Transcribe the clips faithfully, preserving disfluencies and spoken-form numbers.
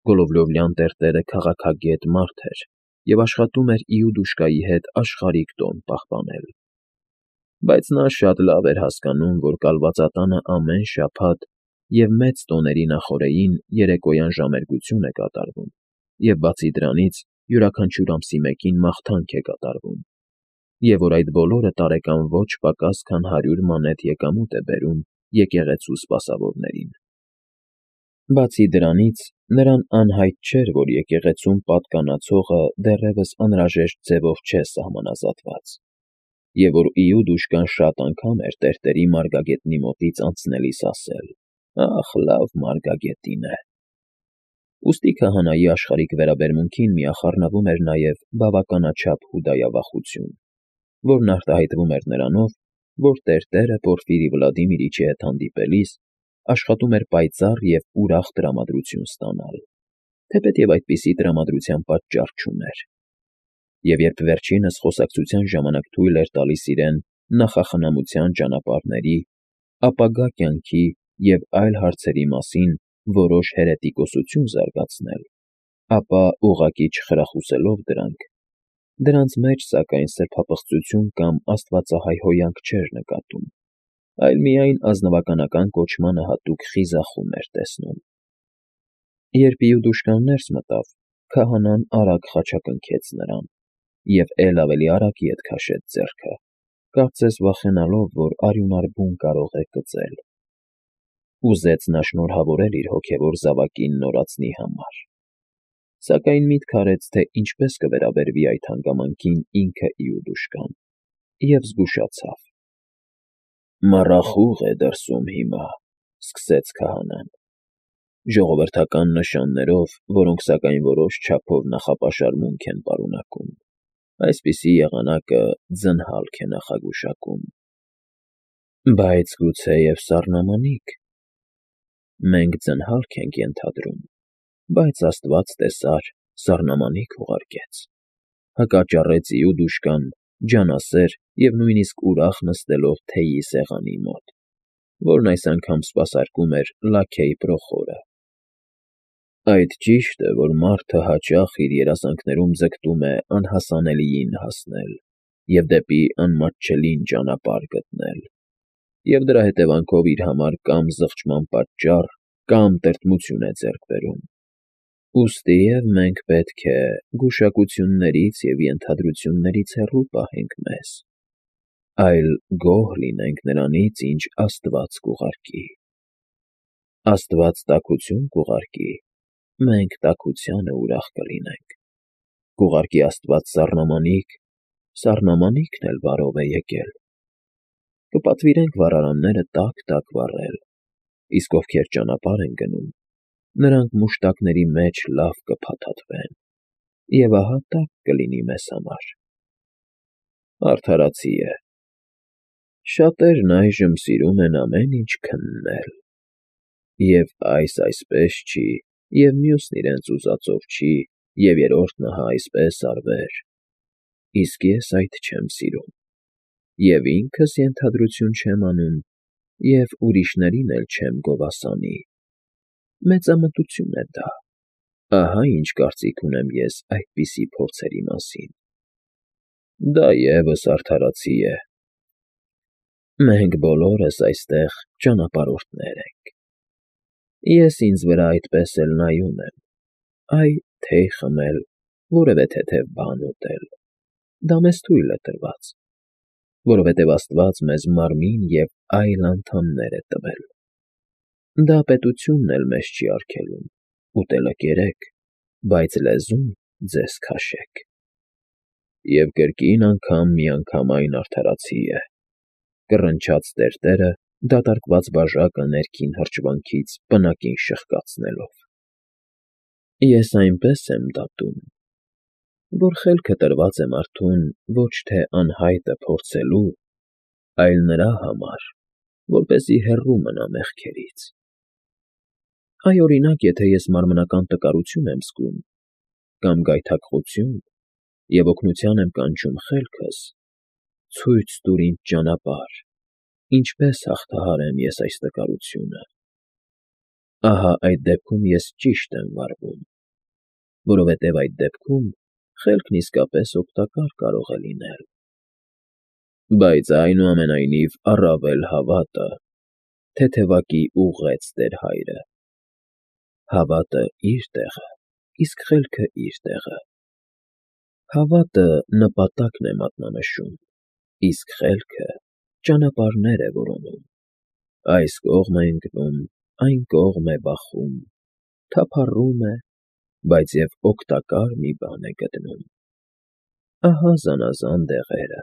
Գոլովլովլյան տերտերը քաղաքագետ մարդ էր և աշխատում էր Իուդուշկայի հետ աշխարհիկ տոն պահպանել։ Բայց նա շատ լավ էր հասկանում, որ կալվածատանը ամեն շաբաթ և մեծ տոների նախօրեին երեկոյան ժամերգություն է կատարվում, և բացի դրանից յուրաքանչյուր ամսի մեկին մաղթանք է կատարվում, և որ այդ բոլորը տարեկան ոչ պակաս քան հարյուր մանեթ եկամուտ է բերում եկեղեցու սպասավորներին։ Բացի դրանից, նրան անհայտ չէր, որ եկեղեցում պատկանացողը դեռևս անհրաժեշտ ձևով չէ սահմանազատված, և որ Իուդուշկան շատ անգամ էր տերտերի մարգագետնի մոտից անցնելիս ասել. «Ախ, լավ մարգագետին է»։ Ուստի քահանայի աշխարհիկ վերաբերմունքին միախառնվում էր նաև բավականաչափ հուդայավախություն, որն արտահայտվում էր նրանով, որ տերտերը Պորֆիրի Վլադիմիրիչի հետ հանդիպելիս աշխատում էր պայծառ և ուրախ տրամադրություն ստանալ, թեպետև այդպիսի տրամադրության պատճառ չուներ, և երբ վերջինս խոսակցության ժամանակ թույլ էր տալիս իրեն նախախնամության ճանապարհների, ապագա կյանքի և այլ հարցերի մասին որոշ հերետիկոսություն զարգացնել, ապա, ուղղակի չխրախուսելով դրանք, դրանց մեջ, սակայն, սրբապղծություն կամ աստվածահայ հոյանք չէր նկատում, այլ միայն ազնվականական կոչմանը հատուկ խիզախում էր տեսնում։ Երբ Իուդուշկան ներս մտավ, քահանան արագ խաչակնքեց նրան և էլ ավելի արագ ետ քաշեց ձեռքը, կարծես վախենալով, որ արյունար բուն կարող է կծել։ Ուզեց նա շնորհավորել իր հոգևոր զավակին նորածնի համար, սակայն միտք արեց, թե ինչպես կվերաբերվի այդ հանգամանքին ինքը Իուդուշկան, և զգուշացավ։ «Մառախուղ է դրսում հիմա», ֊ սկսեց քահանան, «ժողովրդական նշաններով, որոնք, սակայն, որոշ չափով նախապաշարմունք են պարունակում։ Այսպիսի եղանակը ձնհալք է նախագուշակում»։ «Բայց գուցեև սառնամանիք»։ «Մենք ձնհալք ենք ենթադրում, բայց աստված տեսար, սառնամանիք ուղարկեց», ֊ հակաճառեց Իուդուշկան, ջանասեր և նույնիսկ ուրախ նստելով թեյի սեղանի մոտ, որն այս անգամ սպասարկում էր լաքեյ Պրոխորը։ «Այդ ճիշտ է, որ մարդը հաճախ իր երազանքներում ձգտում է անհասանելիին հասնել և դեպի անմատչելին ճանապարհ գտնել, և դրա հետևանքով իր համար կամ զղջման պատճառ, կամ տրտմություն է ձեռք բերում։ Ուստիև մենք պետք է գուշակություններից և ենթադրություններից հեռու պահենք մեզ, այլ գոհ լինենք նրանից, ինչ աստված կուղարկի։ Աստված տաքություն կուղարկի, մենք տաքությանը ուրախ կլինենք, կուղարկի աստված սառնամանիք, սառնամանիքն էլ բարով է եկել։ Կպատվիրենք վառարանները տաք֊տաք վառել, իսկ ովքեր ճանապարհ են գնում, նրանք մուշտակների մեջ լավ կփաթաթվեն, և ահա տաք կլինի մեզ համար։ Արդարացի է։ Շատերն այժմ սիրում են ամեն ինչ քննել, և այս այսպես չի, և մյուսն իրենց ուզածով չի, և երրորդն ահա այսպես արվեր, իսկ ես այդ չեմ սիրում, և ինքս ենթադրություն չեմ անում, և ուրիշներին էլ չեմ գովասանի։ Մեծամտություն է դա, ահա ինչ կարծիք ունեմ ես այդպիսի փորձերի մասին։ Դա ևս արդարացի է։ Մենք բոլորս այստեղ ճանապարհորդներ ենք։ Ես ինձ վրա այդպես էլ նայում եմ, այ թեյ խմել, որևէ թեթև բան ուտել, դա մեզ թույլ է տրված, որովհետև աստված մեզ մարմին և այլ անդամներ է տվել։ Դա պետությունն էլ մեզ չի արգելում, ուտելը կերեք, բայց լեզուն ձեզ քաշեք։ Եվ կրկին անգամ միանգամայն արդարացի է, ֊ կռնչաց տերտերը, դատարկված բաժակը ներքին հրճվանքից պնակին շրխկացնելով։ Ես այնպես եմ դատում, որ խելքը տրված է մարդուն ոչ թե անհայտը փորձելու, այլ նրա համար, որպեսզի հեռու մնա մեղքերից։ Այ, օրինակ, եթե ես մարմնական տկարություն եմ զգում կամ գայթակղություն և օգնության եմ կանչում խելքս, ցույց տուր ինձ ճանապարհ, ինչպես հաղթահարեմ ես այս տկարությունը։ Ահա այդ դեպքում ես ճիշտ եմ վարվում, որովհետև այդ դեպքում խելքն իսկապես օգտակար կարող է լինել։ Բայց այնուամենայնիվ առավել հավատը, թեթևակի ուղղեց տեր հայրը։ Հավատը իր տեղը, իսկ խելքը իր տեղը։ Հավատը նպատակն է մատնանշում, իսկ խելքը ճանապարհներ է որոնում։ Այս կողմ է ընկնում, այն կողմ է բախում, թափառում է, բայց և օգտակար մի բան է գտնում։ Ահա զանազան դեղերը,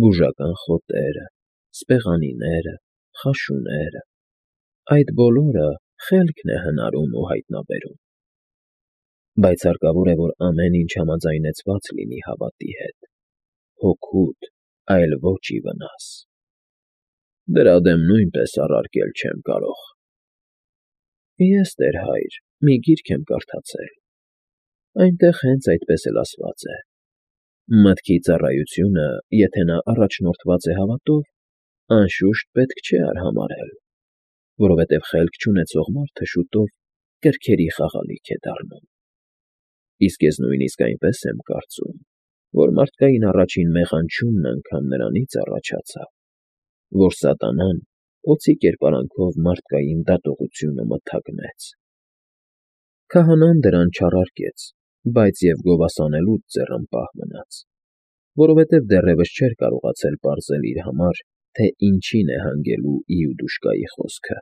բուժական խոտերը, սպեղանիները, խաշուները, այդ բոլորը խելքն է հնարում ու հայտնաբերում։ Բայց հարկավոր է, որ ամեն ինչ համաձայնեցված լինի հավատի հետ, հօգուտ, այլ ոչ ի վնաս։ Դրա դեմ նույնպես առարկել չեմ կարող։ Ես, տեր հայր, մի գիրք եմ կարդացել, այնտեղ հենց այդպես էլ ասված է. «Մտքի ծառայությունը, եթե նա առաջնորդված է հավատով, անշուշտ պետք չէ արհամարհել, որովհետև խելք չունեցող մարդը շուտով կրքերի խաղալիք է դառնում»։ Իսկ ես նույնիսկ այնպես եմ կարծում, որ մարդկային առաջին մեղանչումն անգամ նրանից առաջացավ, որ սատանան օձի կերպարանքով մարդկային դատողությունը մթագնեց։ Քահանան դրան չառարկեց, բայց և գովասանելուց ձեռնպահ մնաց, որովհետև դեռևս չէր կարողացել պարզել իր համար, թե ինչին է հանգելու Իուդուշկայի խոսքը։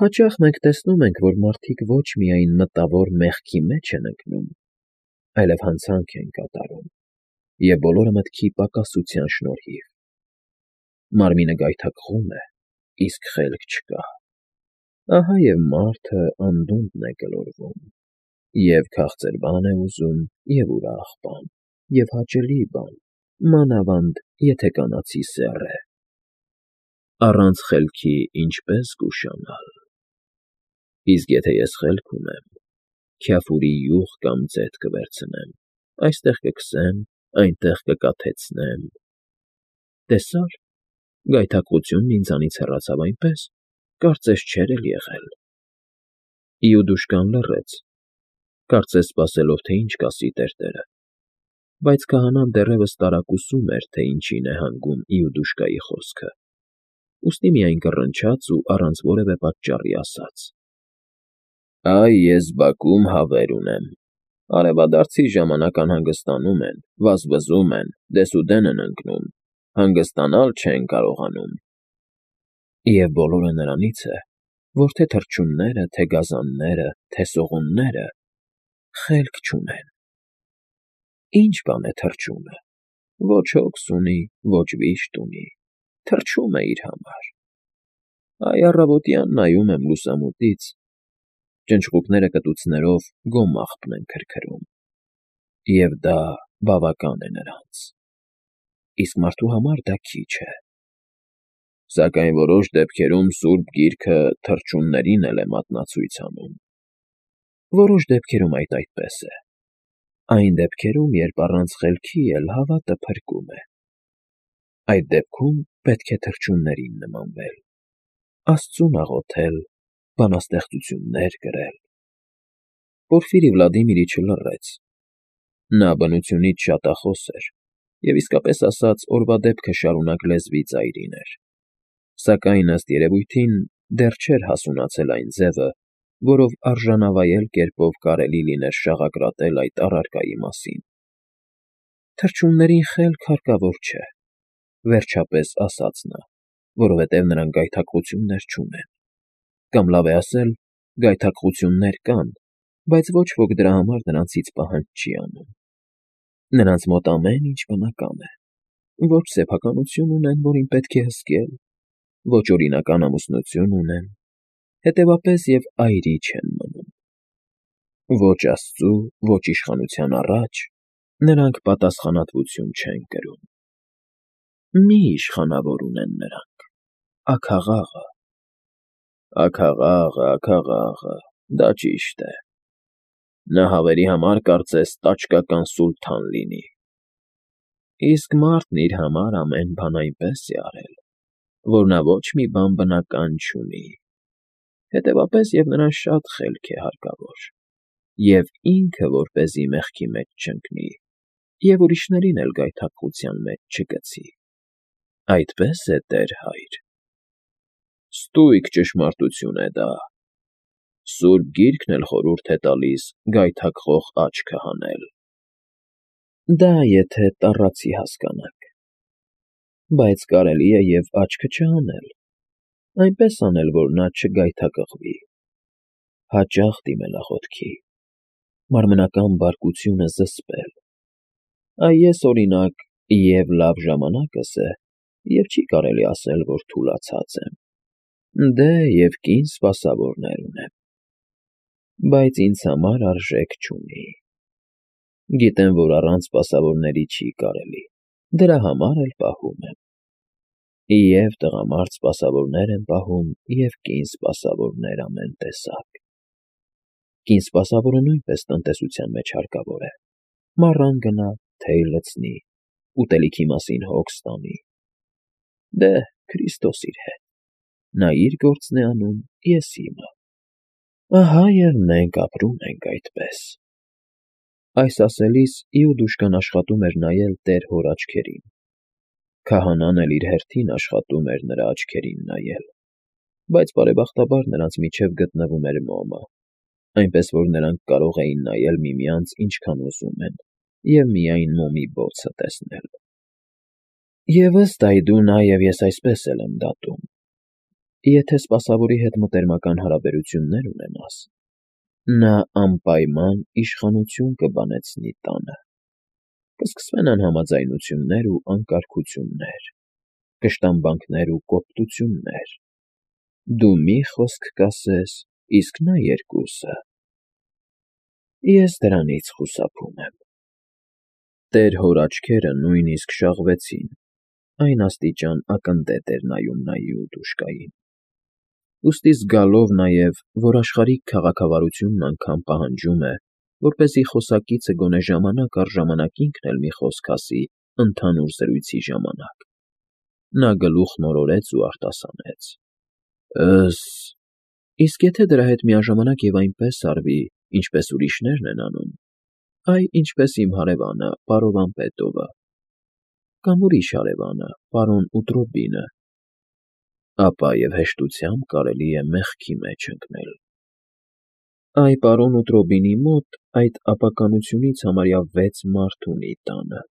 Հաճախ մենք տեսնում ենք, որ մարդիկ ոչ միայն մտավոր մեղքի մեջ են ընկնում, այլև հանցանք են կատարում, և բոլորը մտքի պակասության շնորհիվ։ Մարմինը գայթակղում է, իսկ խելք չկա։ Ահա և մարդը անդունդն է գլորվում, և քաղցր բան է ուզում, և ուրախ բան, և հաճելի բան, մանավանդ եթե կանացի սեռ է։ Առանց խելքի ինչպե՞ս կուշանալ։ Իսկ եթե ես խելք ունեմ, քյաֆուրի յուղ կամ ձեթ կվերցնեմ, այստեղ կքսեմ, այնտեղ կկաթեցնեմ… Տեսա՞ր, գայթակղությունն ինձանից հեռացավ այնպես, կարծես չէր էլ եղել։ Իուդուշկան լռեց, կարծես սպասելով, թե ինչ կասի տերտերը, բայց քահանան դեռևս տարակուսում էր, թե ինչին է հանգում Իուդուշկայի խոսքը, ուստի միայն կռնչաց ու առանց որևէ պատճառի ասաց. «Այ ես բակում հավեր ունեմ, արևադարձի ժամանակ անհանգստանում են, վազվզում են, դեսուդեն են ընկնում, հանգստանալ չեն կարողանում։ Եվ բոլորը նրանից է, որ թե թռչունները, թե գազանները, թե սողունները խելք չունեն։ Ի՞նչ բան է թռչունը. ոչ հոգս ունի, ոչ վիշտ ունի, թռչում է իր համար։ Այ առավոտյան նայում եմ լուսամուտից, ճնճղուկները կտուցներով գոմաղբն են քրքրում, և դա բավական է նրանց, իսկ մարդու համար դա քիչ է։ Սակայն որոշ դեպքերում Սուրբ Գիրքը թռչուններին էլ է մատնացույց անում։ Որոշ դեպքերում այդ այդպես է, այն դեպքերում, երբ առանց խելքի էլ հավատը փրկում է։ Այդ դեպքում պետք է թռչուններին նմանվել, Աստծուն աղոթել, բանաստեղծություններ գրել։ Պորֆիրի Վլադիմիրիչը լռեց։ Նա բնությունից շատախոս էր և, իսկապես ասած, օրվա դեպքը շարունակ լեզվի ծայրին էր, սակայն, ըստ երևույթին, դեռ չէր հասունացել այն ձևը, որով արժանավայել կերպով կարելի լիներ շաղակրատել այդ առարկայի մասին։ Թռչուններին խելք հարկավոր չէ, վերջապես ասաց նա, որովհետև նրանք գայթակղություններ չունեն, կամ լավ է ասել, գայթակղություններ կան, բայց ոչ ոք դրա համար նրանցից պահանջ չի անում։ Նրանց մոտ ամեն ինչ բնական է, ոչ սեփականություն ունեն, որին պետք է հսկել, ոչ օրինական ամուսնություն ունեն, հետևապես և այրի չեն մնում։ Ոչ Աստծու, ոչ իշխանության առաջ նրանք պատասխանատվություն չեն կրում։ Մի իշխանավոր ունեն նրանք՝ աքաղաղը։ Աքաղաղը, աքաղաղը, դա ճիշտ է։ Նա հավերի համար կարծես տաճկական սուլթան լինի։ Իսկ մարդն իր համար ամեն բան այնպես է արել, որ նա ոչ մի բան բնական չունի, հետևապես և նրան շատ խելք է հարկավոր։ և ինքը որպեսզի մեղքի մեջ չընկնի և ուրիշներին էլ գայթակղության մեջ չգցի։ Այդպե՞ս է, Տեր հայր։ Ստույգ ճշմարտություն է դա, Սուրբ Գիրքն էլ խորհուրդ է տալիս գայթակղող աչքը հանել։ Դա եթե տառացի հասկանանք, բայց կարելի է և աչքը չհանել, այնպես անել, որ նա չգայթակղվի, հաճախ դիմել աղոթքի, մարմնական բարկությունը զսպել։ Այ ես, օրինակ, և՛ լավ ժամանակս է, և չի կարելի ասել, որ թուլացած եմ, դե և կին սպասավորներ ունեմ, բայց ինձ համար արժեք չունի։ Գիտեմ, որ առանց սպասավորների չի կարելի, դրա համար էլ պահում եմ։ ԵՒ՛ տղամարդ սպասավորներ եմ պահում, և կին սպասավորներ ամեն տեսակ։ Կին սպասավորը նույնպես տնտեսության մեջ հարկավոր է, մառան գնա, թեյ լցնի, ուտելիքի մասին հոգ ստանի։ Դե, Քրիստոս իր հետ, նա իր գործն է անում, ես իմը։ Ահա և մենք ապրում ենք այդպես։ Այս ասելիս Իուդուշկան աշխատում էր նայել Տեր հոր աչքերին, քահանան էլ իր հերթին աշխատում էր նրա աչքերին նայել, բայց բարեբախտաբար նրանց միջև գտնվում էր մոմը, այնպես որ նրանք կարող էին նայել միմյանց ինչքան ուզում են և միայն մոմի բոցը տեսնել։ Եվ ըստ այդու նա և ես այսպես էլ եմ դատում. եթե սպասավորի հետ մտերմական հարաբերություններ ունենաս, նա անպայման իշխանություն կբանեցնի տանը, կսկսվեն անհամաձայնություններ ու անկարգություններ, կշտամբանքներ ու կոպտություններ, դու մի խոսք կասես, իսկ նա երկուսը։ Ես դրանից խուսափում եմ։ Տեր հոր աչքերը նույնիսկ շաղվեցին, այն աստիճան ակնտետ էր նայում նա Իուդուշկային։ Ուստի զգալով նաև, որ աշխարհիկ քաղաքավարությունն անգամ պահանջում է, որպեսզի խոսակիցը գոնե ժամանակ առ ժամանակ ինքն էլ մի խոսք ասի ընդհանուր զրույցի ժամանակ, նա գլուխն օրորեց ու արտասանեց. Ըս… Իսկ եթե դրա հետ միաժամանակ և այնպես արվի, ինչպես ուրիշներն են անում, այ ինչպես իմ հարևանը պարոն Վամպետովը, կամ ուրիշ հարևանը պարոն Ուտրոբինը, ապա և հեշտությամբ կարելի է մեղքի մեջ ընկնել։ Այ պարոն Ուտրոբինի մոտ այդ ապականությունից համարյա վեց մարդ ունի տանը,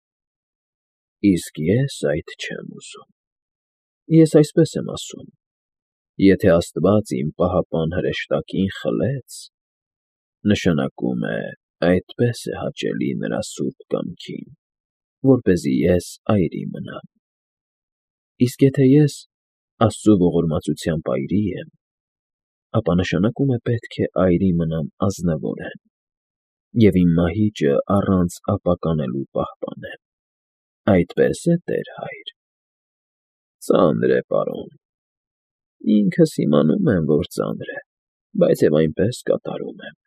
իսկ ես այդ չեմ ուզում։ Ես այսպես եմ ասում. եթե Աստված իմ պահապան հրեշտակին խլեց, նշանակում է այդպես է հաճելի նրա սուրբ կամքին, որպեսզի ես այրի մնամ։ Իսկ եթե ես Աստծու ողորմածությամբ այրի եմ, ապա նշանակում է պետք է այրի մնամ ազնվորեն և իմ մահիճը առանց ապականելու պահպանեմ։ Այդպե՞ս է, Տեր հայր։ Ծանր է, պարոն։ Ինքս իմանում եմ, որ ծանր է, բայց և այնպես կատարում եմ։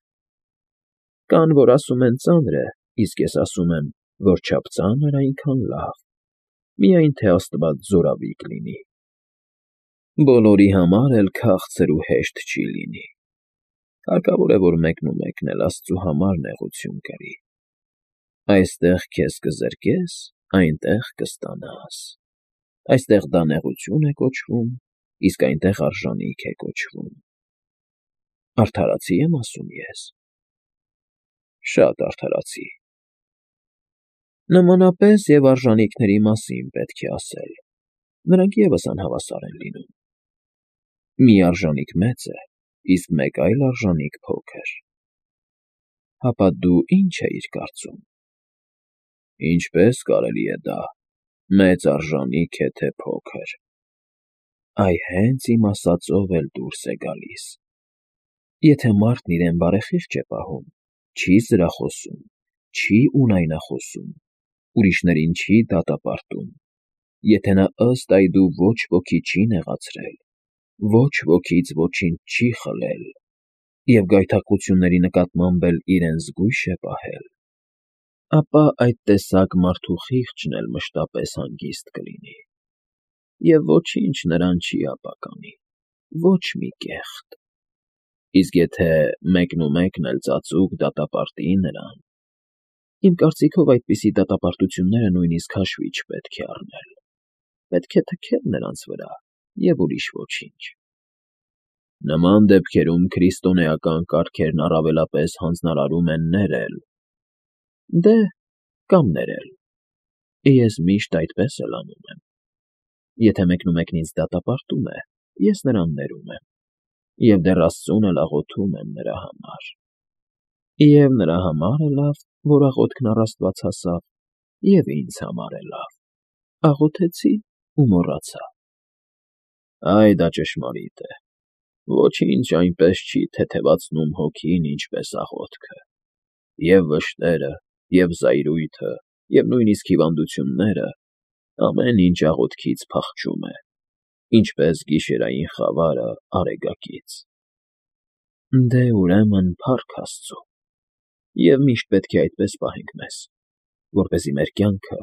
Կան, որ ասում են ծանր է, իսկ ես ասում եմ, որչափ ծանր, այնքան լավ, միայն թե Աստված զորավիկ լինի։ Բոլորի համար էլ քաղցր ու հեշտ չի լինի։ Հարկավոր է, որ մեկնումեկն էլ Աստծու համար նեղություն կրի։ Այստեղ քեզ կզրկես, այնտեղ կստանաս։ Այստեղ դա նեղություն է կոչվում, իսկ այնտեղ արժանիք է կոչվում։ Արդարացի՞ եմ ասում ես։ Շատ արդարացի։ Նմանապես և արժանիքների մասին պետք է ասել, նրանք ևս անհավասար են լինում։ Մի արժանիք մեծ է, իսկ մեկ այլ արժանիք փոքր։ Հապա դու ի՞նչ էիր կարծում։ Ինչպե՞ս կարելի է դա, մեծ արժանիք է, թե փոքր։ Այ հենց իմ ասածով էլ դուրս է գալիս։ Եթե մարդն իրեն բարեխիղճ է պահում, չի զրախոսում, չի ունայնախոսում, ուրիշներին չի դատապարտում, եթե նա ըստ այդու ոչ ոքի չի նեղացրել, ոչ ոքից ոչինչ չի խլել և գայթակղությունների նկատմամբ էլ իրեն զգույշ է պահել, ապա այդ տեսակ մարդու խիղճն էլ մշտապես հանգիստ կլինի, և ոչինչ նրան չի ապականի, ոչ մի կեղտ։ Իսկ եթե մեկնումեկն էլ ծածուկ դատապարտի նրան, իմ կարծիքով այդպիսի դատապարտությունները նույնիսկ հաշվի չպետք է առնել, պետք է թքել նրանց վրա և ուրիշ ոչինչ։ Նման դեպքերում քրիստոնեական կարգերն առավելապես հանձնարարում են ներել, դե, կամ ներել, ես միշտ այդպես էլ անում եմ։ Եթե մեկնումեկն ինձ դատապարտում է, ես նրան ներում եմ, և դեռ աստծուն էլ աղոթում եմ նրա համար։ Եվ նրա համար է լավ, որ աղոթքն առ Աստված հասավ, և ինձ համար է լավ, աղոթեցի ու մոռացա։ Այ դա ճշմարիտ է, ոչինչ այնպես չի թեթևացնում հոգին, ինչպես աղոթքը, և վշտերը, և զայրույթը, և նույնիսկ հիվանդությունները, ամեն ինչ աղոթքից փախչում է, ինչպես գիշերային խավարը արեգակից։ Դե, ուրեմն, փառք Աստծո, և միշտ պետք է այդպես պահենք մեզ, որպեսզի մեր կյանքը,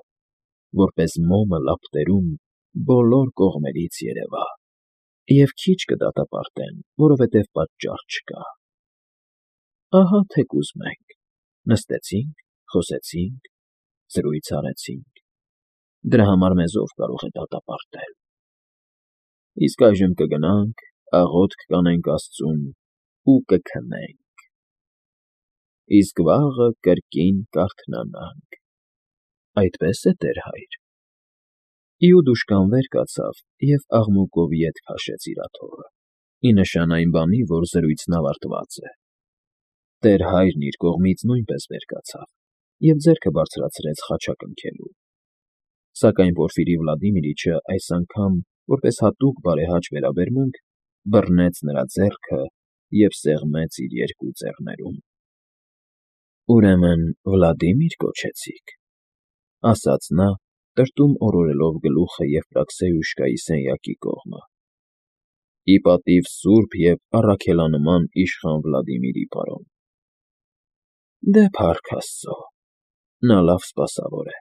որպես մոմը լապտերում, բոլոր կողմերից երևա, և քիչ կդատապարտեն, որովհետև պատճառ չկա։ Ահա թեկուզ մենք նստեցինք, խոսեցինք, զրույց արեցինք, դրա համար մեզ ո՞վ կարող է դատապարտել։ Իսկ այժմ կգնանք, աղոթք կանենք աստծուն ու կքնենք, իսկ վաղը կրկին կարթնանանք, այդպե՞ս է, տեր֊հայր։ Իուդուշկան վեր կացավ և աղմուկով ետ քաշեց իր աթոռը, ի նշան այն բանի, որ զրույցն ավարտված է։ Տեր֊հայրն իր կողմից նույնպես վեր կացավ և ձեռքը բարձրացրեց խաչակնքելու։ Սակայն Պորֆիրի Վլադիմիրիչը այս անգամ, որպես հատուկ բարեհաճ վերաբերմունք, բռնեց նրա ձեռքը և սեղմեց իր երկու ծառներում։ ֊ Ուրեմն Վլադիմի՞ր կոչեցիք,֊ ասաց նա, տրտում օրորելով գլուխը Եֆրասիոյուշկայի սենյակի կողմը,֊ ի պատիվ սուրբ և առաքելանման իշխան Վլադիմիրի, պարոն։ Դե, փառք աստծո, նա լավ սպասավոր է,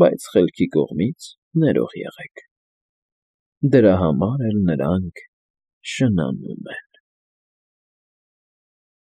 բայց խելքի կողմից ներող եղեք, դրա համար էլ նրանք շնանում են։